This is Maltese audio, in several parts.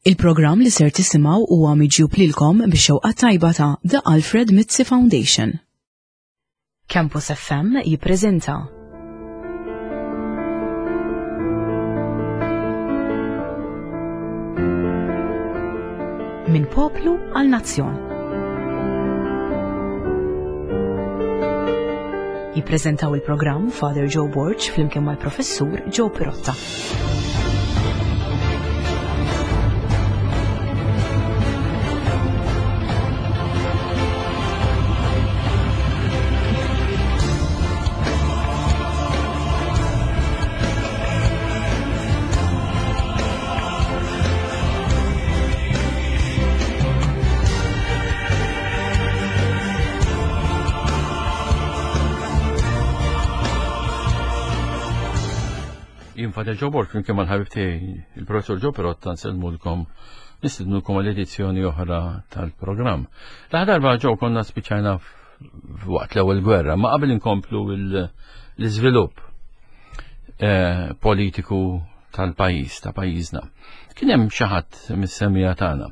Il-programm li ser tisimgħu huwa miġjub lilkom bix-xewqa tajba ta' The Alfred Mizzi Foundation. Campus FM jippreżenta Minn poplu għal nazzjon. Jippreżentaw il-programm Father Joe Borg flimkien mal-Professur Joe Pirotta. Jien Father Joe Borg flimkien mal-ħabib tiegħi il-Professur Joe Perotta nsellmulkom nistidnukom għal edizzjoni oħra tal-programm. L-aħħar darba Joe konna spiċċajna waqt l-ewwel gwerra, ma qabel inkomplu l-iżvilupp eh, politiku tal-pajjiż ta' pajjiżna. Kien hemm xi ħadd mis-semija tagħna.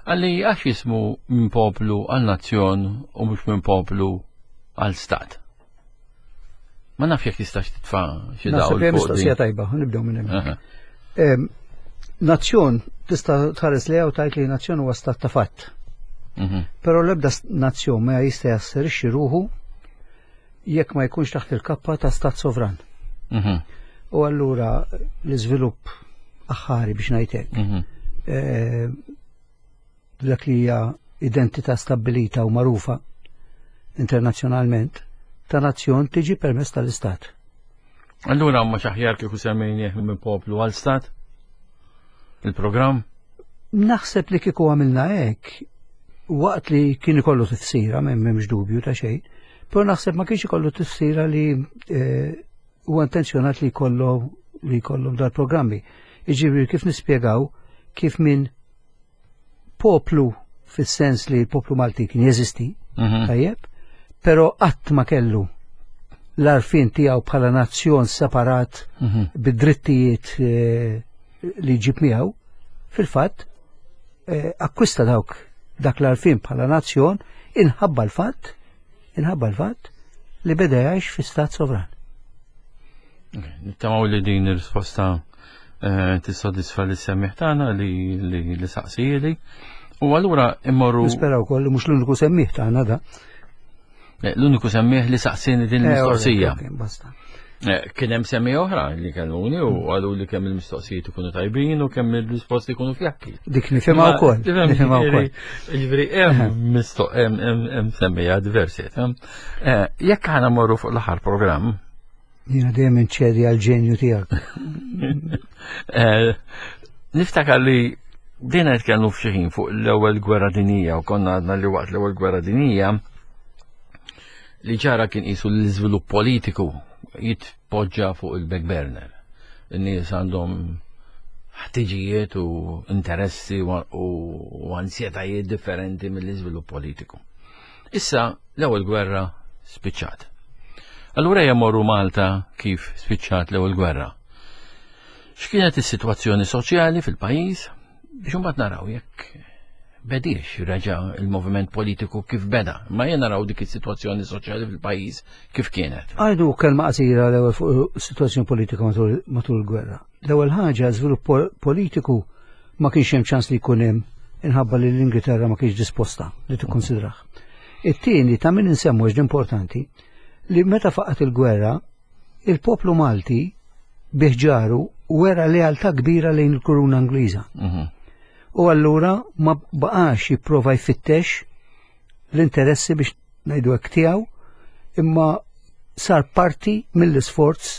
Għalli għax jismu minn poplu għal nazzjon u mhux minn poplu għal stat. Ma naf jekk tistax titfa' xi dawl. Naħseb mistoqsija tajba, nibdew minn hemm. Nazzjon tista' tħares lejha u tgħid li nazzjon huwa stat ta' fatt. Mhm. Però l-ebda nazzjon ma jista' jasserixxi ruħu jekk ma jkunx taħt il-kappa ta' stat sovran. Mhm. U allura l-iżvilupp aħħari biex ngħidlek. Mhm. Eh, dak li hija identità stabbilita u magħrufa internazzjonalment ta' nazzjon tiġi permezz tal-Istat. Allura ma xaħjar kieku semmejnieh minn poplu għal stat? Il-programm? Naħseb li kieku għamilna hekk waqt li kien ikollu tifsira, m'hemmx dubju ta' xejn, però naħseb ma kienx ikollu tifsira li eh, huwa intenzjonat li jkollu li jkollhom dal-programmi. Iġifieri kif nispjegaw kif minn poplu fis-sens li l-poplu Malti kien jeżisti, mhm. tajjeb, però qatt ma kellu l-arfin tiegħu bħala nazzjon separat mhm. bid-drittijiet eh, li jġib miegħu, fil-fatt eh, akkwista dawk dak l-arfin bħala nazzjon inħabba l-fatt inħabba l-fatt li beda jgħix fi stat sovran. Nittamaw li din ir-risposta eh, tissodisfa li semmiħ tagħna li li saqsijili. U allura immorru. Nispera wkoll li mhux l-uniku semmiħ tagħna da. Eh, l-uniku semmiħ li saqsini din eh, il-mistoqsija. Kien hemm semmi oħra li kelluni u għalu li kemm il-mistoqsijiet ikunu tajbin u kemm il-risposti ikunu fjakki. Dik nifhimha wkoll. Nifhimha wkoll. Jiġifieri hemm mistoq hemm semmija diversi. Jekk aħna morru fuq l-aħħar programm, Jiena dejjem inċedi għal ġenju tiegħek. Eh, niftakar li dina nitkellmu f'xi ħin fuq l-ewwel gwerra dinija u konna għadna li waqt l-ewwel gwerra dinija li ġara kien qisu l-iżvilupp politiku jitpoġġa fuq il-back burner. In-nies għandhom ħtiġijiet u interessi u ansjetajiet differenti mill-iżvilupp politiku. Issa l-ewwel gwerra spiċċat. Allura ejja morru Malta kif spiċċat l-ewwel gwerra. X'kienet is-sitwazzjoni soċjali fil-pajjiż biex imbagħad naraw jekk bediex reġa' il-moviment politiku kif beda, ma jien naraw dik is-sitwazzjoni soċjali fil-pajjiż kif kienet. Għajdu kelma qasira l-ewwel fuq is-sitwazzjoni politika matul il-gwerra. L-ewwel ħaġa żvilupp politiku ma kienx hemm ċans li jkun hemm inħabba li l-Ingilterra ma kienx disposta li tikkonsidrah. It-tieni ta' min insemmu għax importanti li meta faqat il-gwerra il-poplu Malti biħġaru wera lealtà kbira lejn il-kuruna Ingliża. Mhm. U allura ma baqax jipprova jfittex l-interessi biex ngħidu hekk tiegħu, imma sar parti mill-isforz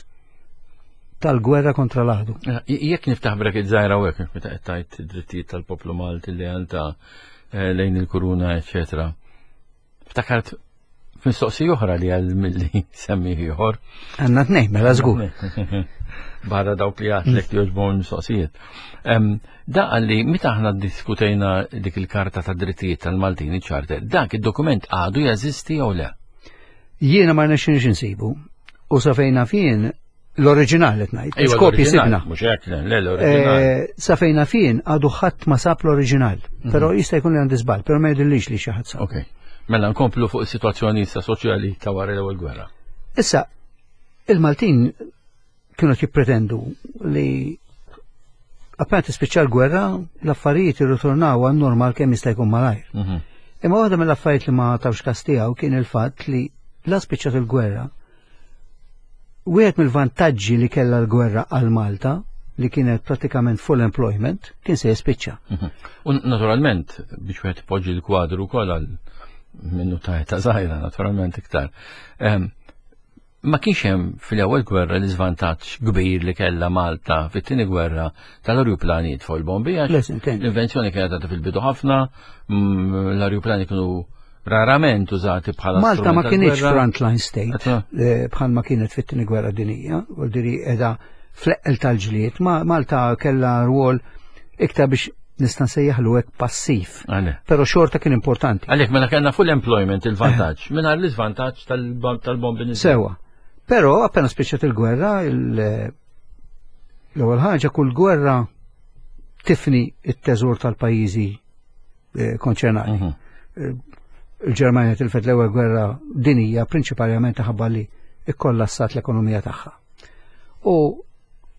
tal-gwerra kontra l-għadu. Eh, jekk niftaħ bracket żgħira u hekk meta qed tgħid id-drittijiet tal-poplu Malti li għalta eh, lejn il-kuruna, eċetera. Ftakart mistoqsija oħra li għal milli semmi ieħor. Għandna tnejn, mela żgur. Barra dawk li għatlek li joġbon mistoqsijiet. Da għalli meta aħna diskutejna dik il-karta ta' drittijiet tal-Maltin iċ-charter, dak id-dokument għadu jeżisti jew le? Jiena ma rnexxinix insibu. U sa fejna fien. L-oriġinal qed ngħid. Iva, Kopji sibna. Mhux hekk, le l-oriġinal. Eh, sa fejna fien għadu ħadd ma sab l-oriġinal, mhm. però jista' jkun li għandi żball, però ma jidhirlix li xi ħadd sab. Ok. Mela nkomplu fuq is-sitwazzjoni issa soċjali ta' wara l-ewwel gwerra. Issa, il-Maltin kienu jippretendu li appena tispiċċa l-gwerra, l-affarijiet irritornaw għan normal kemm jista' jkun malajr. Mhm. Imma waħda mill-affarijiet li ma tawx kas tiegħu kien il-fatt li la spiċċat il-gwerra, Wieħed mill-vantaġġi li kellha l-gwerra għal Malta li kienet pratikament full employment kien se jispiċċa. Mhm. U naturalment biex wieħed ipoġġi l-kwadru wkoll għal minnu ta' ta' żgħira naturalment iktar. Ehm, ma kienx hemm fil-ewwel gwerra l-iżvantaġġ kbir li kellha Malta fit-tieni gwerra tal-arjuplani jitfgħu l-bombi għax l-invenzjoni kienet għadha fil-bidu ħafna, mm, l-arjuplani kienu rarament użati bħala Malta ma kienx frontline state eh, bħal ma kienet fit-tieni gwerra dinija, u diri edha fl-eqqel tal-ġlied, Malta kellha rwol iktar biex nista' nsejjaħlu hekk passiv. Però xorta kien importanti. Għalhekk mela kellna full employment il-vantaġġ, eh. mingħajr l-iżvantaġġ tal-bombi Sewa. Però appena spiċċat il-gwerra, l-ewwel ħaġa kull gwerra tifni it-teżor tal-pajjiżi eh, konċernati. Mhm. Eh, Il-Ġermanja tilfet l-ewwel gwerra dinija prinċipalment ħabba li ikkollassat l-ekonomija tagħha. U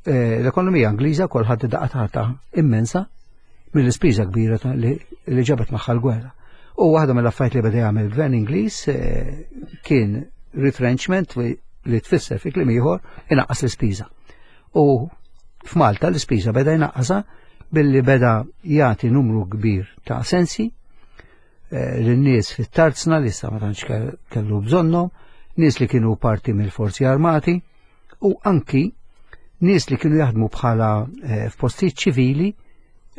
eh, l-ekonomija Ingliża wkoll ħadd daqqa tagħta immensa mill-ispiża kbira li ġabet magħha l-gwerra. U waħda mill-affarijiet li beda jagħmel il-gvern Ingliż kien retrenchment li tfisser fi kliem ieħor inaqqas l-ispiża. U f'Malta l-ispiża beda jnaqqasha billi beda jagħti numru kbir ta' sensi eh, lin-nies fit-tarzna li issa ma tantx kellu bżonnhom, nies li kienu parti mill-forzi armati u anki nies li kienu jaħdmu bħala eh, f'postijiet ċivili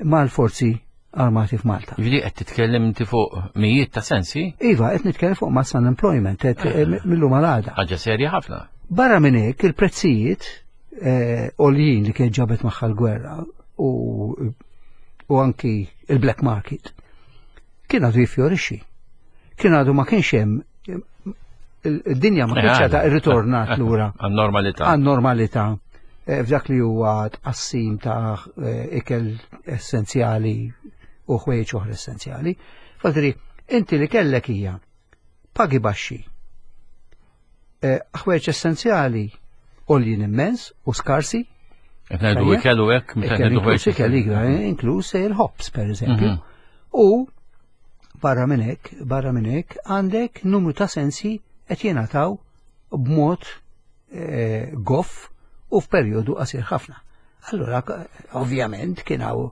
mal-forzi armati f'Malta. Ġifieri qed titkellem inti fuq mijiet ta' sensi? Iva, qed nitkellem fuq mass unemployment, qed eh, eh, millum għal għada. Ħaġa serja ħafna. Barra minn hekk il-prezzijiet eh, għoljin li kien ġabet magħha l-gwerra u, u anki il-black market kien għadu jifjorixxi. Kien għadu ma kienx hemm id-dinja ma kienx għadha irritornat lura. Għan-normalità. Għan-normalità. Eh, f'dak li huwa tqassim ta' eh, ikel essenzjali u ħwejjeġ oħra essenzjali. Fadri, inti li kellek hija pagi baxxi. Eh, ħwejjeġ essenzjali għoljin immens u skarsi. Qed ngħidu ikel u hekk meta ngħidu ħwejjeġ. Ikel inkluż il-ħobs pereżempju. Mhm. U Barra minn hekk, barra minn hekk, għandek numru ta' sensi qed jingħataw b'mod eh, goff u f'perjodu qasir ħafna. Allura, ovvjament, kien hawn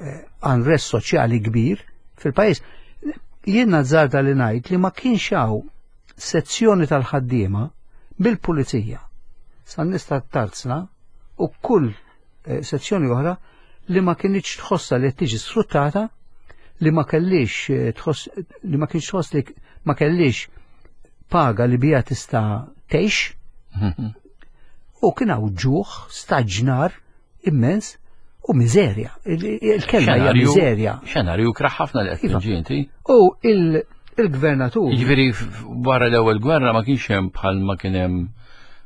eh, unrest soċjali kbir fil-pajjiż. Jien nazzarda li ngħid li ma kienx hawn sezzjoni tal-ħaddiema bil-pulizija san nista' tarzna u kull Eh, sezzjoni oħra li ma kienx tħossha li qed tiġi sfruttata, li ma kellix eh, tħoss li ma kienx tħoss li ma kellix paga li bija tista' tgħix. Mhm. U kien hawn ġuħ, staġnar immens u miżerja. Il-kelma hija miżerja. Xenarju kraħ ħafna li qed iva. tiġi inti. U il-gvernatur. Jiġifieri wara l-ewwel gwerra ma kienx hemm bħal ma kien hemm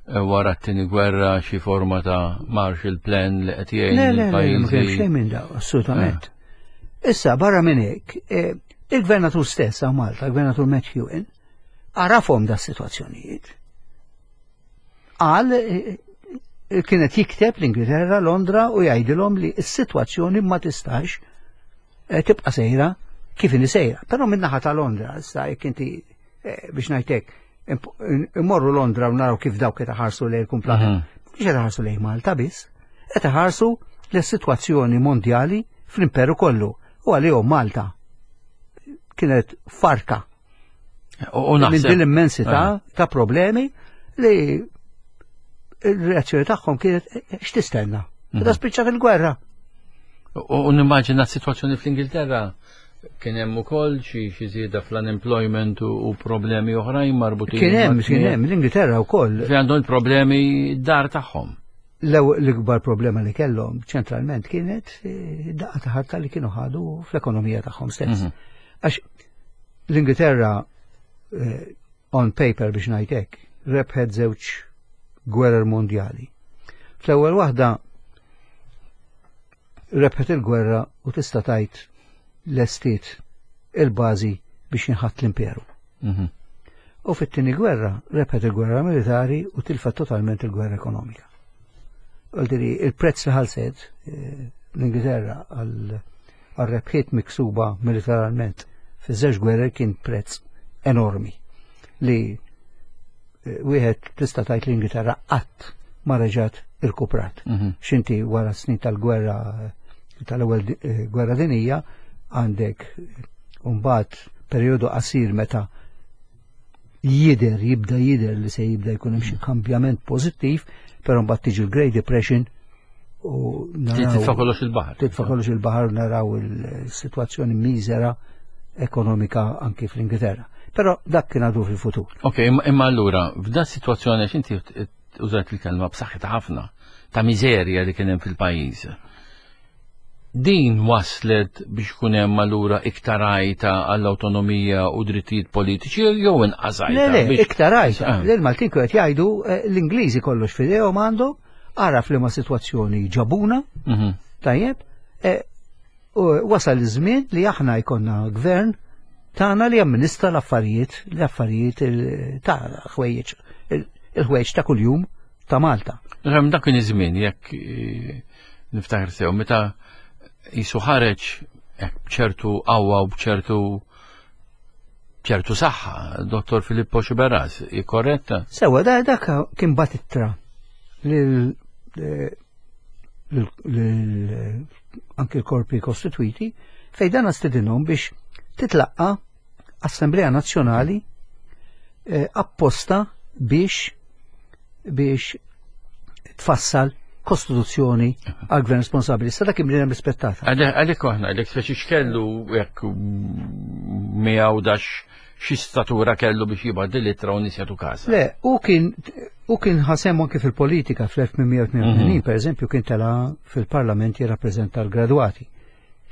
Eh, wara t-tieni gwerra xi forma ta' Marshall Plan li qed jgħin Le, le, le, ma kienx xejn minn daw, assolutament. Eh. Issa barra minn hekk, eh, il-gvernatur stess għaw Malta, il-gvernatur McEwen, għarafhom da situazzjonijiet. Qal kienet jikteb l-Ingilterra, Londra u jgħidilhom li s-sitwazzjoni ma tistax tibqa' sejra kif inhi sejra. Però min-naħa ta' Londra, issa jekk inti biex ngħidlek immorru Londra u naraw kif dawk qed iħarsu lejn il-kumplament. Mhm. Mhux qed iħarsu lejn Malta biss, qed iħarsu lis-sitwazzjoni mondjali fl-imperu kollu u għalihom Malta kienet farka. U minn din l-immensità eh. ta' problemi li il-reazzjoni tagħhom kienet eh, x'tistenna. Mhm. Da spiċċat il-gwerra. U nimmaġina s-sitwazzjoni fl-Ingilterra Kien hemm ukoll xi xi żieda fl-unemployment u problemi oħrajn marbutin. Kien hemm, kien hemm, l-Ingilterra wkoll. Fi għandhom problemi dar tagħhom. L-ikbar problema li kellhom ċentralment kienet eh, daqqa ta' ħarta li kienu ħadu fl-ekonomija tagħhom stess. Mhm. Għax l-Ingilterra eh, on paper biex ngħid hekk, rebħet żewġ gwerer mondjali. Fl-ewwel waħda rebħet il-gwerra u tista' tgħid lestiet il-bażi biex jinħatt l-imperu. Mhm. U fit-tieni gwerra rebħet il-gwerra militari u tilfet totalment il-gwerra ekonomika. Għaldiri, il-prezz li ħalset eh, l-Ingilterra għal rebħiet miksuba militarment fi żewġ gwerra kien prezz enormi li eh, wieħed tista' tgħid l-Ingilterra qatt ma reġgħet irkuprat. Mhm. X'inti wara snin tal-gwerra tal-ewwel eh, gwerra dinija għandek mbagħad perjodu qasir meta jider, jibda jider li se jibda jkun hemm xi mhm. kambjament pożittiv, però mbagħad tiġi l-Great Depression u naraw. Titfa' kollox il-baħar. Titfa' kollox il-baħar naraw il-sitwazzjoni miżera ekonomika anki fl-Ingilterra. Però dak kien għadu fil-futur. Ok, imma allura, f'da situazzjoni għax inti użajt il-kelma b'saħħitha ħafna ta' miżerja li kien hemm fil-pajjiż. Din waslet biex kun hemm allura iktar għajta għall-awtonomija u drittijiet politiċi jew inqas għajta? Le, le, iktar għajta. Ah. L-Maltin qed jgħidu eh, l-Ingliżi kollox f'idejhom għandhom, ara f'liema sitwazzjoni ġabuna, mhm. tajjeb, eh, wasal iż-żmien li aħna jkollna gvern tagħna li jamministra l-affarijiet, l-affarijiet ta' ħwejjeġ, il-ħwejjeġ ta' kuljum ta' Malta. Nifhem dak kien iż-żmien jekk eh, niftakar sew meta jisu ħareġ b'ċertu qawwa u b'ċertu ċertu saħħa, Dottor Filippo Xiberras, korretta? Sewa, dak kien bat ittra lil eh, anki l-korpi kostituiti fej dan stedinhom biex titlaqqa Assemblea Nazzjonali eh, apposta biex biex tfassal kostituzzjoni għal gvern responsabili. Sa dak imlina rispettata. Għalek aħna, għalek speċi xkellu jekk miegħu dax xi statura kellu biex jibgħat l-ittra u nies jagħtu każha. Le, u kien u kien ħasem anke fil-politika fl-1882, mm -hmm. per eżempju, kien tela fil-parlament jirrappreżenta l-gradwati.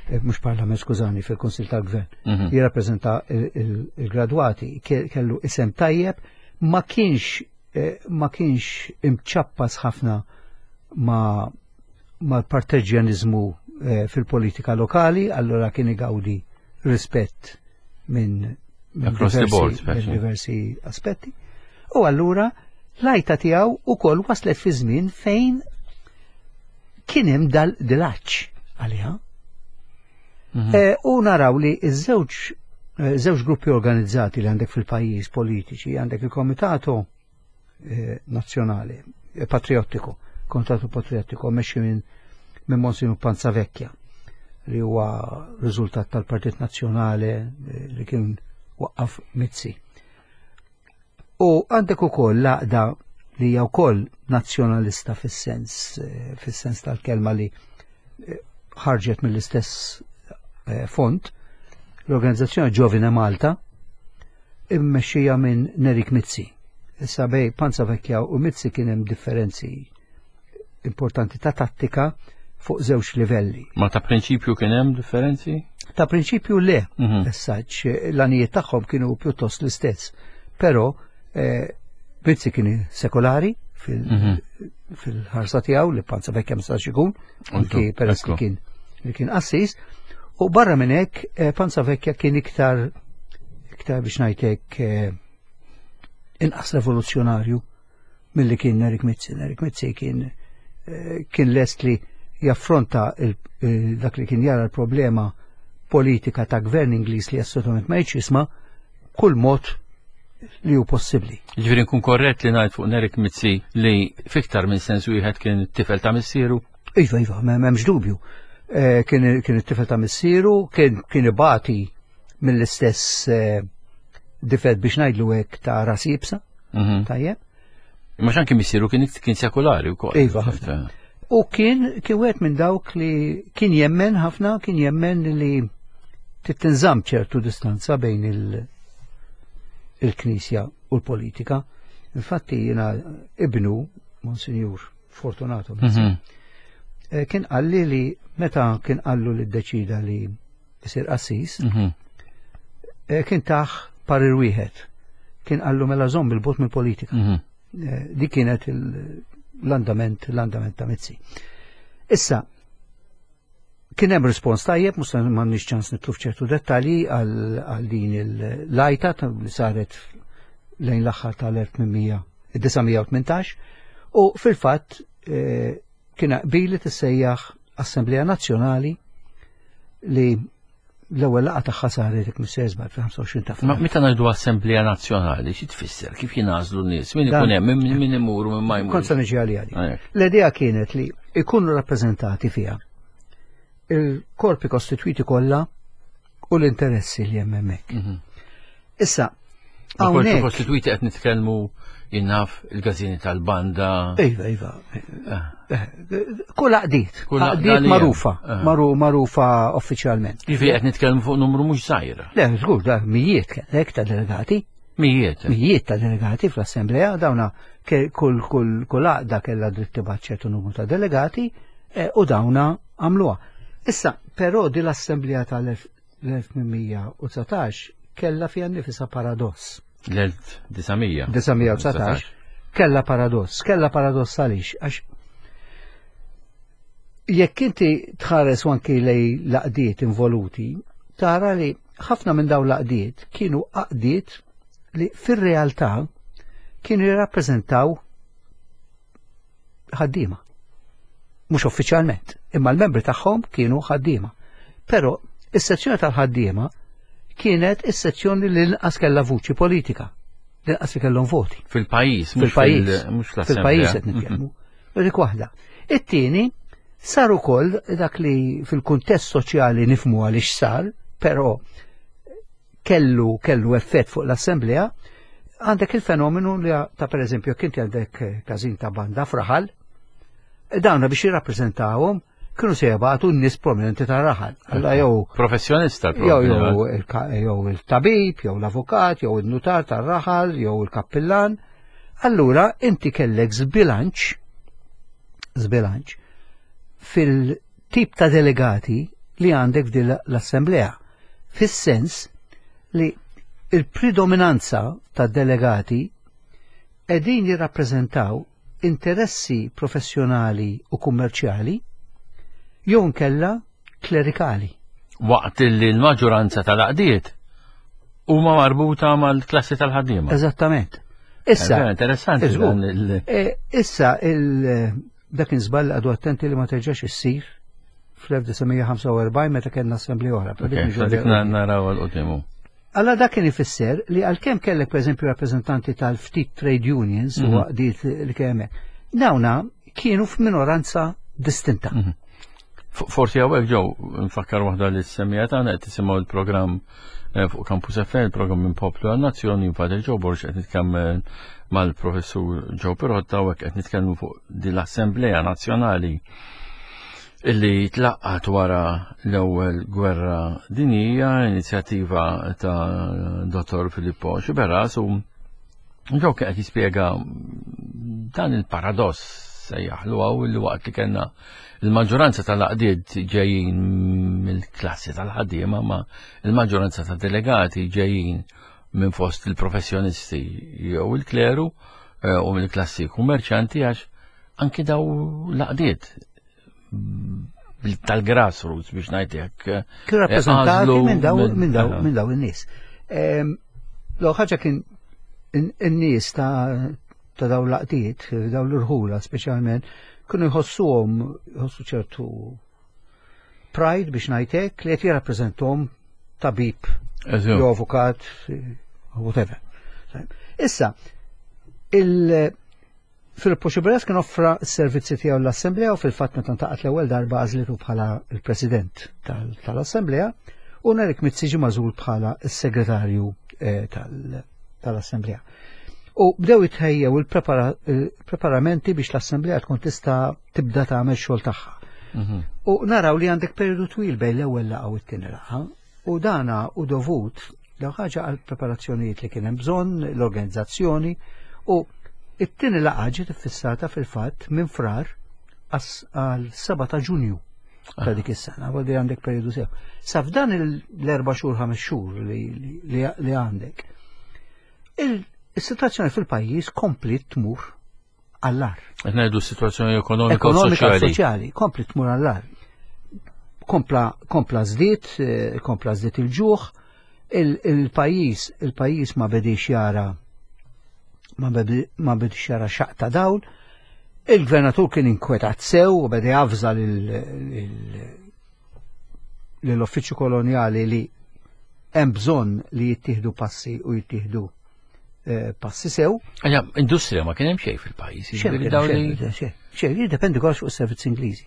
Eh, mhux parlament, skużani, fil-Kunsil tal-Gvern. Mm -hmm. Jirrappreżenta il-gradwati, kellu isem tajjeb, ma kienx eh, ma kienx imċappas ħafna ma mal-parteġjanizmu eh, fil-politika lokali, allora kien igawdi rispett minn diversi, minn diversi aspetti. U allura l-għajta tiegħu ukoll waslet fi żmien fejn kien hemm dal-dilaċ għaliha. Mm -hmm. U naraw li iż-żewġ eh, żewġ gruppi organizzati li għandek fil-pajjiż politiċi, għandek il-Komitato eh, nazzjonali, eh, patriottiku, kontatu patriottiku, meċi minn min Monsignor Panzavecchia, li huwa riżultat tal-Partit Nazzjonali eh, li kien waqqaf Mizzi. U għandek ukoll l-għaqda li hija wkoll nazzjonalista fis-sens fis-sens tal-kelma li ħarġet mill-istess font, l-organizzazzjoni Giovine Malta, immexxija minn Nerik Mizzi. Issa bej Panza Vecchia u Mizzi kien hemm differenzi importanti ta' tattika fuq żewġ livelli. Ma ta' prinċipju kien hemm differenzi? Ta' prinċipju le, mm -hmm. l-għanijiet tagħhom kienu pjuttost l-istess. Però eh, Mizzi kien sekolari mhm. fil-ħarsa tiegħu li Panza Vecchia ma stax ikun, anki peress li kien li kien qassis. U barra minn hekk eh, Panza Vecchia kien iktar iktar biex ngħidlek eh, inqas revoluzzjonarju milli kien Erik Mizzi. Erik Mizzi kien eh, kien lest li jaffronta dak li kien jara l-problema politika ta' gvern Ingliż li assolutament ma jisma' kull mod li hu possibbli. Ġifieri nkun korrett li ngħid fuq Nerik Mizzi li fiktar minn sens wieħed kien tifel ta' missieru? Iva, iva, m'hemmx dubju. Eh, kien it-tifel ta' missieru, kien ibati mill-istess eh, difett biex ngħidlu hekk ta' ras ibsa. Mhm. Tajjeb. Imma xanki missieru kien kien sekulari wkoll. Iva, ħafna. U kien kien wieħed minn dawk li kien jemmen ħafna, kien jemmen li titinżamm ċertu distanza bejn il-Knisja u l-politika. Infatti jiena ibnu, Monsinjur Fortunato, mm -hmm. kien qalli li meta kien qallu li ddeċida li isir qassis, mm -hmm. kien taħ parir wieħed. Kien qallu mela żomm il-bot mill-politika. Mm -hmm. Dik kienet l-andament l-andament ta' Mizzi. Issa, kien hemm rispons tajjeb, mhux m'għandniex ċans nitlu f'ċertu dettalji għal din il-lajta li saret lejn l-aħħar tal-1918 u fil-fatt eh, kien qbil li tissejjaħ Assemblea Nazzjonali li l-ewwel laqgħa tagħha saret jekk mhux żball fil-25 ta' Frar. Meta ngħidu Assemblea Nazzjonali, xi tfisser? Kif jingħażlu n-nies? Min ikun hemm, min imur u min ma jmur? Kont se niġi għalija L-idea kienet li ikunu rappreżentati fiha il-korpi kostitwiti kollha u l-interessi li hemm hemmhekk. Mhm. Issa, Korpi kostitwiti qed nitkellmu jinnaf il-gazini tal-banda. Iva, iva. Eh. Eh, kull għaqdiet, kull għaqdiet marufa, eh. marufa uffiċjalment. Jiġifieri qed nitkellmu fuq numru mhux żgħir. Le, żgur, da mijiet kellek ta' delegati. Mijiet. Mijiet ta' delegati fl-assembleja, dawna kull kull kull għaqda kellha dritt tibgħat ċertu numru ta' delegati u dawna għamluha. Issa, però din l-assemblea tal-1819 kellha fiha nnifisha paradoss. L-1900. 919 kellha paradoss. Kellha paradoss għaliex? Għax jekk inti tħares anki lej laqdiet involuti, tara li ħafna minn dawn laqdiet kienu għaqdiet li fir-realtà kienu jirrappreżentaw ħaddiema. Mhux uffiċjalment, imma l-membri tagħhom kienu ħaddiema. Però is-sezzjoni tal-ħaddiema kienet is-sezzjoni li l-inqas kellha vuċi politika, l-inqas li kellhom voti. Fil-pajjiż, fil-pajjiż, fil-pajjiż qed nitkellmu. Dik waħda. It-tieni sar ukoll dak li fil-kuntest soċjali nifmu għaliex sar, però kellu kellu effett fuq l-assemblea, għandek il-fenomenu li ta' per eżempju kinti għandek każin ta' banda fraħal, dawna biex jirrappreżentawhom kienu se jibgħatu n-nies prominenti ta' raħal. Alla jew professjonista jew jew il-tabib, jew l-avukat, jew il-nutar tar-raħal, jew il-kappillan. Allura inti kellek żbilanċ żbilanċ fil-tip ta' delegati li għandek f'din l-assemblea. Fis-sens li il-predominanza ta' delegati qegħdin jirrappreżentaw interessi professjonali u kummerċjali jew nkella klerikali. Waqt li l-maġġoranza tal-għaqdiet huma marbuta mal-klassi tal-ħaddiema. Eżattament. Issa, eh, interessanti. Eh, issa il dak żball għadu attenti li ma terġax issir fl-1945 meta kellna assembli oħra. Dik naraw għal-qudiem. Alla dak kien ifisser li għalkemm kellek pereżempju rappreżentanti tal-ftit trade unions u mhm. għaqdiet li kemm dawna kienu f'minoranza distinta. Mhm. Forsi hawnhekk ġew nfakkar waħda li s-semmija tagħna qed tisimgħu l-programm eh, fuq Campus FM, il-programm minn Poplu għan-Nazzjoni, Father Joe Borg qed nitkellem mal-professur Joe Pirotta u qed nitkellmu fuq din l-Assemblea Nazzjonali illi tlaqqat wara l-ewwel gwerra dinjija, inizjattiva ta' Dottor Filippo Xiberras u Joe kien qed jispjega dan il-paradoss sejjaħlu għaw li waqt li kellna il-maġġoranza tal-għaqdiet ġejjin mill-klassi tal-ħaddiema ma il-maġġoranza ta' delegati ġejjin minn fost il-professjonisti jew il-kleru eh, u mill-klassi kummerċanti għax anki daw l-għaqdiet tal-grassroots biex ngħid hekk. Eh, Kien rappreżentati minn daw minn daw minn daw in-nies. Ehm, l ħaġa kien in-nies ta' ta' daw l-laqdiet, daw l-irħula speċjalment, kienu jħossuhom jħossu ċertu pride biex ngħidlek li qed jirrappreżentom tabib, jew avukat, whatever. Issa, il- Filippo Xiberas kien offra s-servizzi tiegħu l-Assemblea u fil-fatt meta ntaqat l-ewwel darba għażlitu bħala l-President tal-Assemblea u Nerik Mizzi ġie magħżul bħala s-Segretarju eh, tal-Assemblea. U bdew jitħejjew il-preparamenti biex l-Assemblea tkun tista' tibda tagħmel xogħol tagħha. Mhm. U naraw li għandek periodu twil bejn l-ewwel laqgħa u t-tieni laqgħa U dana u dovut l ħaġa għal preparazzjonijiet li kien hemm bżonn, l-organizzazzjoni u it-tieni laqgħa ġiet iffissata fil-fatt minn frar għal 7 ta' Ġunju ta' dik is-sena, għalli għandek periodu sew. Sa f'dan l-erba' xhur ħames xhur li għandek. Il-sitwazzjoni fil-pajjiż komplet tmur. għall-agħar. Qed ngħidu s-sitwazzjoni ekonomika u Ekonomika u soċjali. soċjali, kompli tmur għall-agħar. Kompla kompla żdied, eh, kompla żdied il-ġuħ, il-pajjiż il-pajjiż ma bedix jara ma ma bedix jara xaq ta' dawl. Il-gvernatur kien inkwetat sew u beda javża lill-uffiċċju kolonjali li hemm bżonn li jittieħdu passi u jittieħdu eh, passi sew. Għaxa, industrija ma kien hemm xejn fil-pajjiż. Xejn, jiġifieri dawn li- xejn, xejn, xejn, jiddependi kollox fuq is-servizz Ingliżi.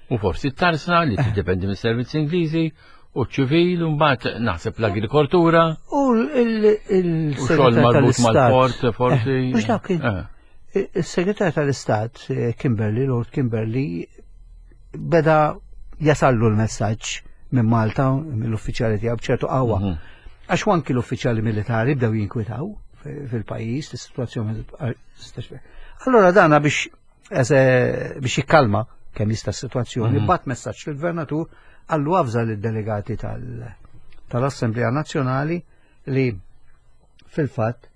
U forsi t-tarsna li tiddependi mis-servizz Ingliżi u ċ-ċivil u mbagħad naħseb l-agrikoltura U u xogħol il-segretar marbut tal-Istat. mal-port forsi. Eh, Mhux dak kien. Eh. Il-segretar tal-Istat, eh, Kimberley, Lord Kimberley, beda jasallu l-messaġġ minn Malta, mill-uffiċjali tiegħu b'ċertu qawwa. Għax anki l-uffiċjali militari bdew jinkwitaw fil-pajjiż, is-sitwazzjoni. Allora dana biex biex jikkalma kemm jista' s-sitwazzjoni, bat messaġġ lill-gvernatur għallu avża lid-delegati tal-Assemblea Nazzjonali li fil-fatt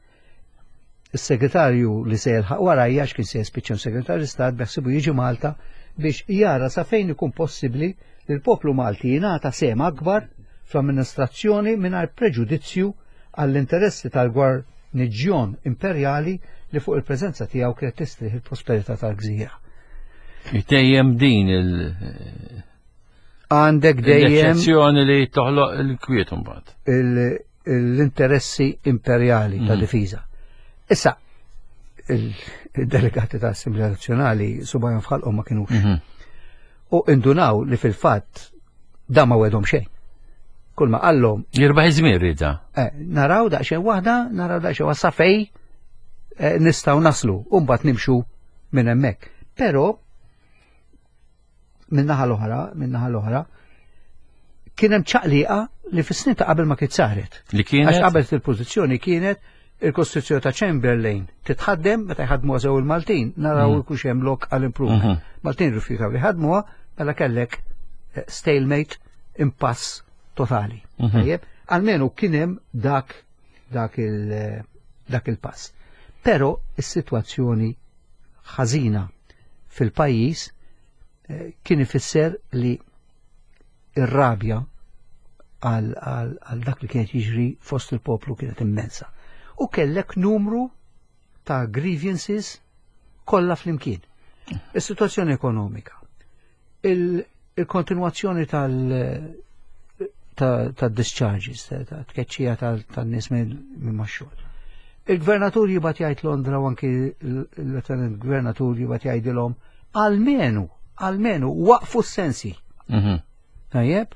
is-segretarju li se jilħaq warajja għax kien se jispiċċa segretarju stat beħsibu jiġi Malta biex jara sa fejn ikun possibbli li l-poplu Malti jingħata sehem akbar fl-amministrazzjoni mingħajr preġudizzju għall-interessi tal-gwarniġjon imperjali li fuq il-preżenza tiegħu kienet tistrieħ il-prosperità tal-gżira. Dejjem din il- Għandek dejjem l-eċċezzjoni li toħloq il-kwiet imbagħad. l-interessi imperjali ta' difiża. Issa, il-delegati ta' Assemblea Nazzjonali subajhom f'ħalqhom ma kinux. U indunaw li fil-fatt da ma wedhom xejn. Kull ma qallhom Jirbaħ iż-żmien rida. eh, naraw daqsxejn waħda, naraw daqsxejn waħda sa fej eh, nistgħu naslu u mbagħad nimxu minn hemmhekk. Però minn naħa l-oħra, minn naħa l-oħra, kien hemm ċaqliqa li fis-snin ta' qabel ma kien saret. Li Għax kienet qabel il-pożizzjoni kienet il-Kostituzzjoni ta' Chamberlain titħaddem meta jħadmuha sew il-Maltin, naraw ikux hemm lok għal improvement. Maltin rifjutaw li ħadmuha, mela kellek eh, stalemate, impass totali. Tajjeb, almenu kien hemm dak dak il eh, dak il-pass. Però is-sitwazzjoni ħażina fil-pajjiż eh, kien ifisser li ir-rabja għal, għal, għal dak li kienet jiġri fost il-poplu kienet immensa. U kellek numru ta' grievances kollha flimkien. Is-sitwazzjoni ekonomika, il- il-kontinuazzjoni tal- ta' ta' discharges, ta' ta' tkeċċija tal-nies minn minn max-xogħol. Il-gvernatur jibgħat jgħid Londra u anki l-lieutenant gvernatur jibgħat jgħidilhom almenu, almenu waqfu s-sensi. Tajjeb,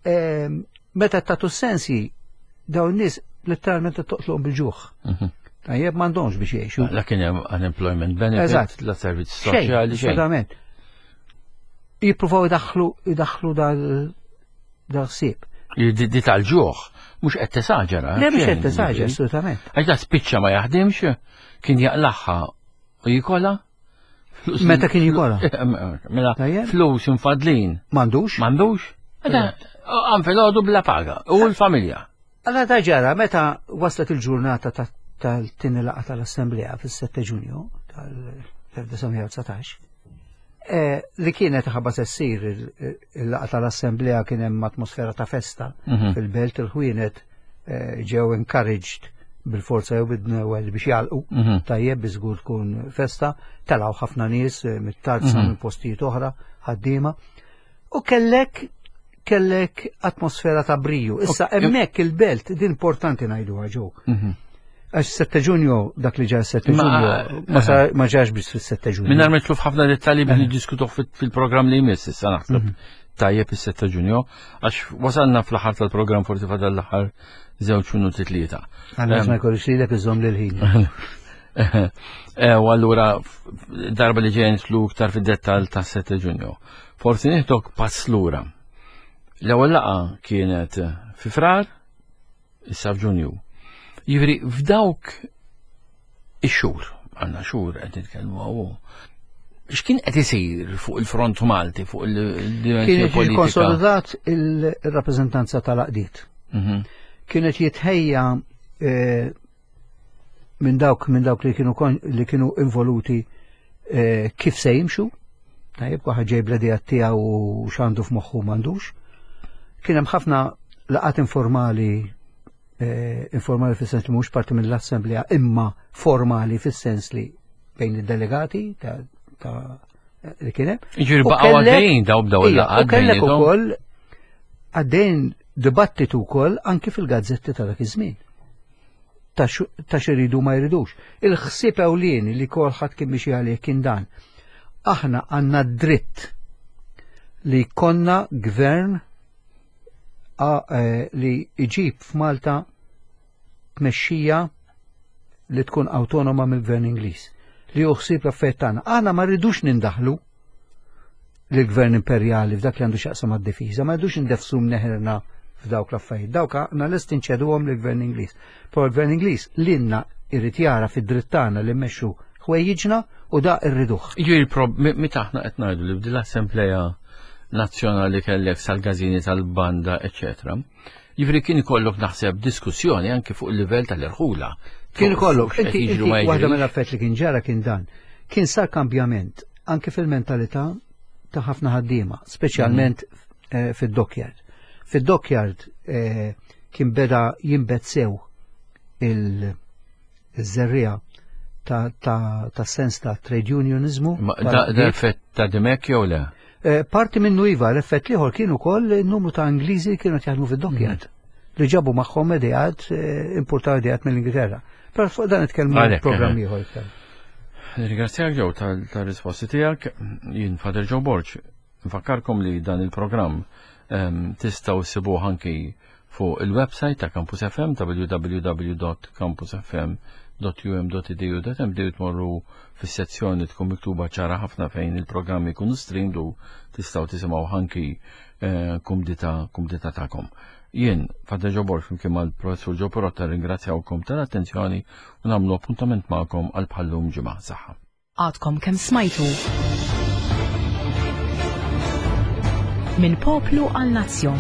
Ehm, meta tagħtu s-sensi dawn nies letteralment toqtlhom bil-ġuħ. Tajjeb m'għandhomx biex jgħixu. La kien hemm unemployment benefit, Eżatt. la servizz Xejn, soċjali xejn. assolutament. Jippruvaw idaħħlu idaħħlu dal dal-ħsieb. Di di tal-ġuħ mhux qed tesaġera. Le mhux xejn, qed tesaġera, jiġifieri. assolutament. Għax da spiċċa ma jaħdimx, kien jaqlaħħa u jikola. Flus- Meta kien jikola? Mela, Tajjeb. flus infadlin. M'għandux. M'għandux? Għam fil-ħodu bla paga. U l-familja. Alla ta' ġara, meta waslet il-ġurnata ta- tal-tieni laqgħa tal-Assemblea fis-7 Ġunju tal-1919, eh, li kienet ħabba se ssir il- il-laqgħa tal-Assemblea kien hemm atmosfera ta' festa fil-belt il-ħwienet eh, ġew encouraged bil-forza jew bid-dnewel biex jalqu tajjeb bi żgur tkun festa, telgħu ħafna nies eh, mit-tarza minn postijiet oħra ħaddiema. U kellek kellek atmosfera ta' briju. Issa hemmhekk il-belt din importanti ngħiduha ġew. Għax 7 Ġunju dak li ġar 7 Ma- Ġunju ma sar- ma ġarx biss fis-7 Ġunju. Minnar mitlu f'ħafna dettalji biex niddiskutuh fil-programm li jmiss issa naħseb. Tajjeb is-7 Ġunju, għax wasalna fl-aħħar tal-programm forsi fadal l-aħħar żewġ minuti tlieta. Għaliex ma jkollix lilek iżomm lil ħin. Eh, U allura f- darba li ġejn tlu iktar fid-dettall ta' 7 Ġunju. Forsi nieħdok pass lura. L-ewwel laqgħa kienet fi Frar, issa f'Ġunju. Jiġifieri f'dawk ix-xhur, għandna xhur qed nitkellmu hawn. X'kien qed isir fuq il-front Malti, fuq il-dimensjoni Kienet politika? konsolidat il-rappreżentanza tal-aqdiet. Kienet jitħejja eh, minn dawk minn dawk li kienu kon- li kienu involuti eh, kif se jimxu, tajjeb waħed ġej bl-idea tiegħu u x'għandu f'moħħu m'għandux. Kien hemm ħafna laqat informali eh, informali fis-sens li mhux parti mill-assemblea imma formali fis-sens li bejn id-delegati ta', ta li kien hemm. Jiġifieri baqgħu għaddejjin daw bdew il-laqgħat. U kellek ukoll għaddejn dibattitu wkoll anki fil-gazzetti ta' dak iż-żmien. Ta' x'iridu ma jridux. Il-ħsieb ewlieni li kolħadd kien mixi għalih kien dan. Aħna għandna dritt li konna gvern eh, li iġib f'Malta tmexxija li tkun awtonoma mill-gvern Ingliż li hu ħsieb l-affarijiet tagħna. Aħna ma rridux nindaħlu lill-gvern imperjali f'dak li għandu x'jaqsam mad-difiża, ma rridux indefsu mneħirna f'dawk l-affarijiet. Dawk aħna lest inċeduhom lill-gvern Ingliż. Però l-gvern Ingliż lilna irid jara fid-dritt tagħna li mmexxu ħwejjiġna u da rriduh. Jiġifieri meta aħna qed ngħidu li b'dil assembleja nazzjonali kellek sal-gażini tal-banda, eċċetera. Jiġifieri kien ikollok naħseb diskussjoni anke fuq il-livell tal-irħula. Kien ikollok, inti waħda mill-affett li kien ġara kien dan. Kien sar kambjament anke fil-mentalità ta' ħafna ħaddiema, speċjalment mhm. eh, fid-dockyard. Fid-dockyard eh, kien beda jinbet sew il-żerriegħa ta' sens ta' trade unionizmu. Da effett ta' Dimek jew le? Eh, parti minnu iva, l-effett liħor kienu koll numru ta' Ingliżi kienu jaħdmu fid-dockyard mm. li ġabu magħhom ideat, eh, importaw ideat mill-Ingilterra. Però fuq dan nitkellmu programm eh. ieħor iktar. Ringrazzjak ġew tal-risposti tiegħek, jien Fader Joe Borg. Nfakkarkom li dan il-programm ehm, tistgħu ssibuh anki fuq il-website ta' Campus FM www.campusfm.um.edu.md tmorru fis-sezzjoni tkun miktuba ċara ħafna fejn il-programmi jkunu streamed u tistgħu tisimgħu anki eh, kumdita kumdita tagħkom. Jien, Father Joe Borg, flimkien mal-Professur Joe Perotta ringrazzjawkom tal-attenzjoni u nagħmlu appuntament magħkom għal bħallum ġimgħa saħħa. Għadkom kemm smajtu. Minn poplu għal nazzjon.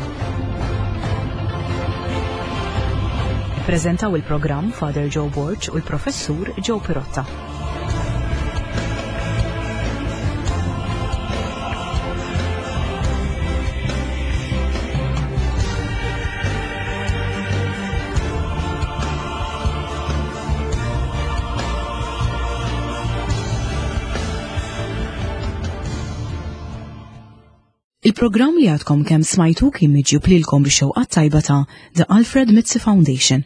Ippreżentaw il-programm Father Joe Borg u l-Professur Joe Pirotta. Il-programm li għadkom kemm smajtu kien miġjub lilkom bix-xewqat tajba ta' The Alfred Mizzi Foundation.